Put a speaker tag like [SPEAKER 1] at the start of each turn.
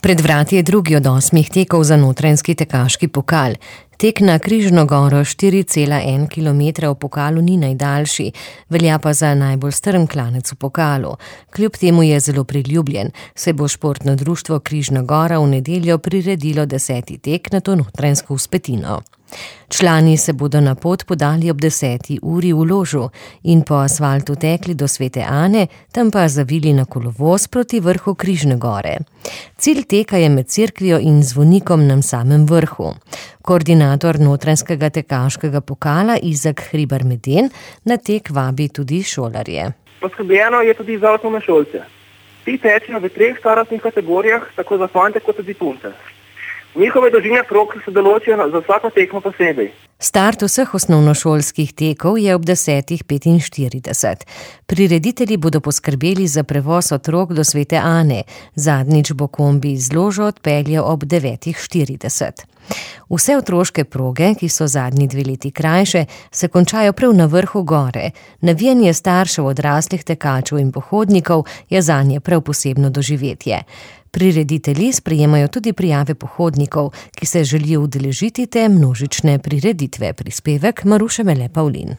[SPEAKER 1] Pred vrati je drugi od 8 tekov za Notranjski tekaški pokal. Tek na Križno goro 4,1 km v pokalu ni najdaljši, velja pa za najbolj strm klanec v pokalu. Kljub temu je zelo priljubljen, saj bo športno društvo Križna gora v nedeljo priredilo 10. tek na to notranjsko vzpetino. Člani se bodo na pot podali ob 10. uri v Ložu in po asfaltu tekli do Svete Ane, tam pa zavili na kolovoz proti vrhu Križne gore. Cilj teka je med cerkvijo in zvonikom na samem vrhu. Koordinator Notranjskega tekaškega pokala Izak Hribar-Meden na tek vabi tudi šolarje.
[SPEAKER 2] Poskrbljeno je tudi za osnovnošolce. Ti tečejo v 3 starostnih kategorijah, tako za fante kot tudi punce. Njihove dolžine prog se določijo za vsako tekmo posebej.
[SPEAKER 1] Start vseh osnovnošolskih tekov je ob 10:45. Prireditelji bodo poskrbeli za prevoz otrok do Svete Ane. Zadnjič bo kombi iz Ložo odpeljal ob 9:40. Vse otroške proge, ki so zadnji 2 leti krajše, se končajo prav na vrhu gore. Navijanje staršev, odraslih tekačev in pohodnikov je zanje prav posebno doživetje. Prireditelji sprejemajo tudi prijave pohodnikov, ki se želijo udeležiti te množične prireditve. Prispevek Maruše Mele Pavlin.